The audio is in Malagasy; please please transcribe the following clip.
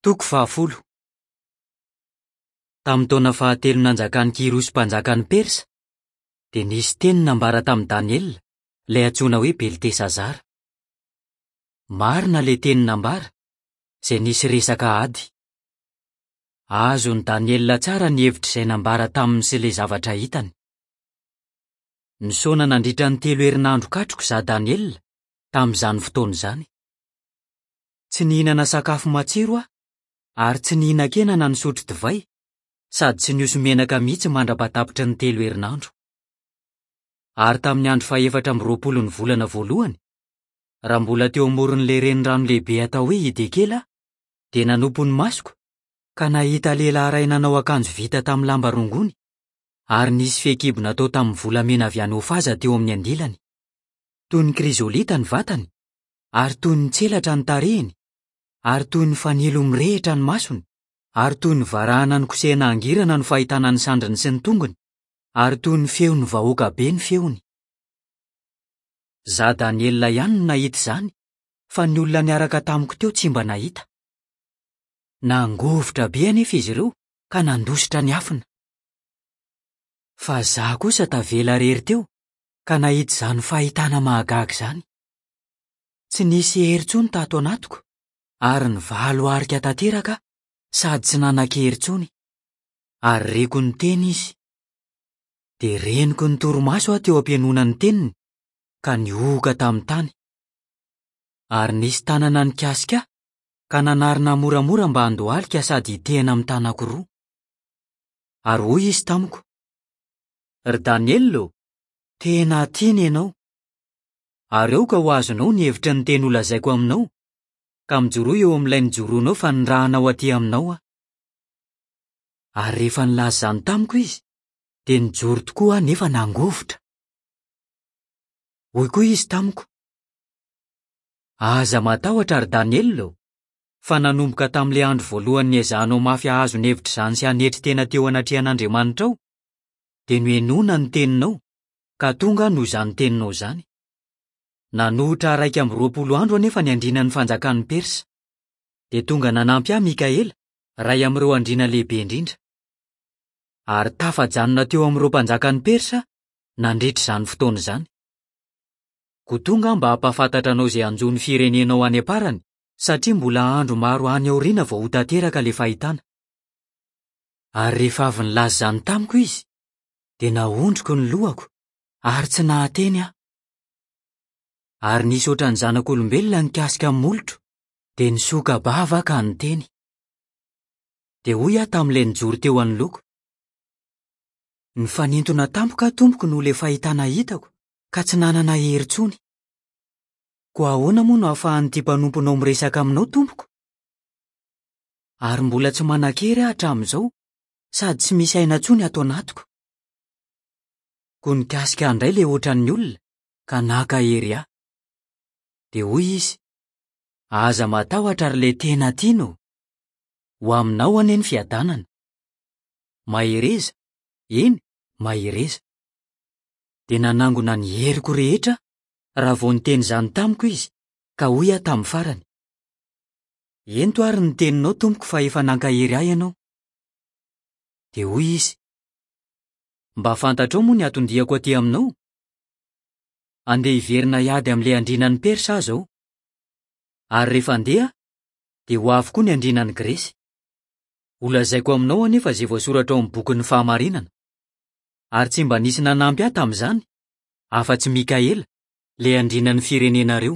Toko fahafolo. Tamin'ny taona fahatelo nanjakan'i Kyrosy mpanjakan'i Persa, dia nisy teny nambara tamin'i Daniela, ilay antsoina hoe Beltesazara. Marina ilay teny nambara, izay nisy resaka ady. Azon'i Daniela tsara ny hevitr'izay nambara taminy sy ilay zavatra hitany. Nisaona nandritra ny telo herinandro katroka izaho Daniela, tamin'izany fotoana izany. Tsy nihinana sakafo matsiro aho, ary tsy nihinan-kena na nisotro divay, sady tsy nihoso-menaka mihitsy mandra-pahatapitry ny telo herinandro. Ary tamin'ny andro fahefatra amby roapolon'ny volana voalohany, raha mbola teo amoron'ilay renirano lehibe atao hoe Hidekela aho, dia nanompo ny masoko, ka nahita lehilahy iray nanao akanjo vita tamin'ny lamba rongony, ary nisy fehikibo natao tamin'ny volamena avy any Ofaza teo amin'ny andilany. Toy ny krizolita ny vatany, ary toy ny tselatra ny tarehiny, ary toy ny fanilo mirehitra ny masony, ary toy ny varahana nokosehina hangirana no fahitana ny sandriny sy ny tongony, ary toy ny feon'ny vahoaka be ny feony. Izaho Daniela ihany no nahita izany, fa ny olona niaraka tamiko teo tsy mba nahita. Nangovitra be anefa izy ireo ka nandositra niafina. Fa izaho kosa tavela irery teo ka nahita izany fahitana mahagaga izany. Tsy nisy hery intsony tato anatiko ary nivalo arika tanteraka aho sady tsy nanan-kery intsony. Ary reko niteny izy. Dia reniko nitorimaso aho teo am-pihainoana ny teniny ka nihohoka tamin'ny tany. Ary nisy tanana nikasika ahy ka nanarina moramora mba handohalika sady hitehina amin'ny tanako roa. Ary hoy izy tamiko, Ry Daniela ô, tena tiana ianao. Ary aoka ho azonao ny hevitry ny teny holazaiko aminao, ka mijoroa eo amin'ilay nijoroanao fa nirahana ho aty aminao aho. Ary rehefa nilaza izany tamiko izy, dia nijoro tokoa aho nefa nangovitra. Hoy koa izy tamiko, Aza matahotra, ry Daniela ô, fa nanomboka tamin'ilay andro voalohany niezahanao mafy hahazo ny hevitr'izany sy hanetry tena teo anatrehan'Andriamanitrao, dia nohenoina ny teninao, ka tonga aho noho izany teninao izany. Nanohitra 21 andro anefa ny andrianan'ny fanjakan'i Persa. Dia tonga nanampy ahy Mikaela, iray amin'ireo andriana lehibe indrindra. Ary tafajanona teo amin'ireo mpanjakan'i Persa aho nandritra izany fotoana izany. Koa tonga aho mba hampahafantatra anao izay hanjo ny firenenao any am-parany, satria mbola andro maro any aoriana vao ho tanteraka ilay fahitana. Ary rehefa avy nilaza izany tamiko izy, dia naondriko ny lohako ary tsy nahateny aho. Ary nisy hoatran'ny zanak'olombelona nikasika ny molotro, dia nisoka-bava aho ka niteny. Dia hoy aho tamin'ilay nijoro teo anoloako, Nifanintona tampoka aho tompoko noho ilay fahitana hitako ka tsy nanana hery intsony. Koa ahoana moa no ahafahan'ity mpanomponao miresaka aminao tompoko? Ary mbola tsy manan-kery aho hatramin'izao sady tsy misy aina intsony ato anatiko. Koa nikasika ahy indray ilay hoatran'ny olona ka naka hery ahy. Dia hoy izy, Aza matahotra ry ilay tena tiana ô! Ho aminao anie ny fiadanana. Mahereza, eny, mahereza. Dia nanangona ny heriko rehetra aho raha vao niteny izany tamiko izy, ka hoy aho tamin'ny farany, Ento ary ny teninao tompoko fa efa nankahery ahy ianao. Dia hoy izy, Mba fantatrao moa ny anton-diako aty aminao? Andeha hiverina hiady amin'ilay andrianan'i Persa aho izao. Ary rehefa handeha aho, dia ho avy koa ny andrianan'i Gresy. Holazaiko aminao anefa izay voasoratra ao amin'ny bokin'ny fahamarinana. Ary tsy mba nisy nanampy ahy tamin'izany, afa-tsy Mikaela, ilay andrianan'ny firenenareo.